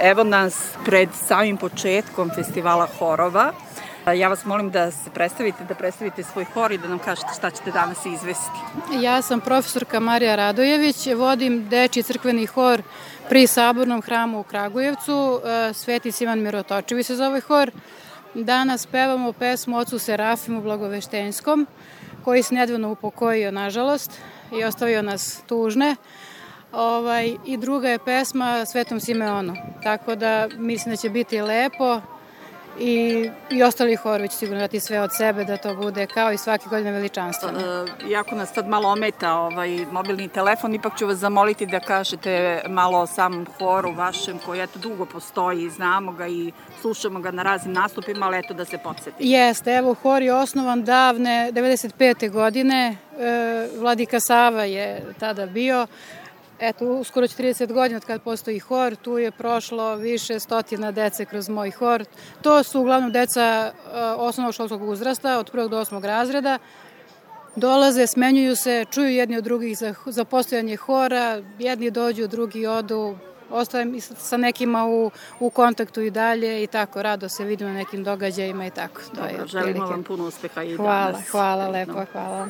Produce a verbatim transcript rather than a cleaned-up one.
Evo nas pred samim početkom festivala horova. Ja vas molim da se predstavite, da predstavite svoj hor i da nam kažete šta ćete danas izvesti. Ja sam profesorka Marija Radojević, vodim dečji crkveni hor pri Sabornom hramu u Kragujevcu, Sveti Sivan Mirotočivi se zove hor. Danas pevamo pesmu Ocu Serafimu Blagoveštenskom, koji se nedavno upokojio, nažalost, i ostavio nas tužne. Ovaj, I druga je pesma Svetom Simeonu, tako da mislim da će biti lepo i, i ostali horovi će sigurno dati sve od sebe da to bude kao i svake godine veličanstveno. E, jako nas sad malo ometa ovaj mobilni telefon, ipak ću vas zamoliti da kažete malo o samom horu vašem koji eto dugo postoji, znamo ga i slušamo ga na raznim nastupima, ali eto da se podsjetimo. Jeste, evo hor je osnovan davne devedeset pete godine, e, Vladika Sava je tada bio. Eto, uskoro trideset godina od kad postoji hor, tu je prošlo više stotina dece kroz moj hor. To su uglavnom deca osnovnog školskog uzrasta, od prvog do osmog razreda. Dolaze, smenjuju se, čuju jedni od drugih za, za postojanje hora, jedni dođu, drugi odu, ostajem sa nekima u, u kontaktu i dalje i tako, rado se vidimo na nekim događajima i tako. To Dobro, je želimo vam puno uspeha i hvala, danas. Hvala, lepo, hvala.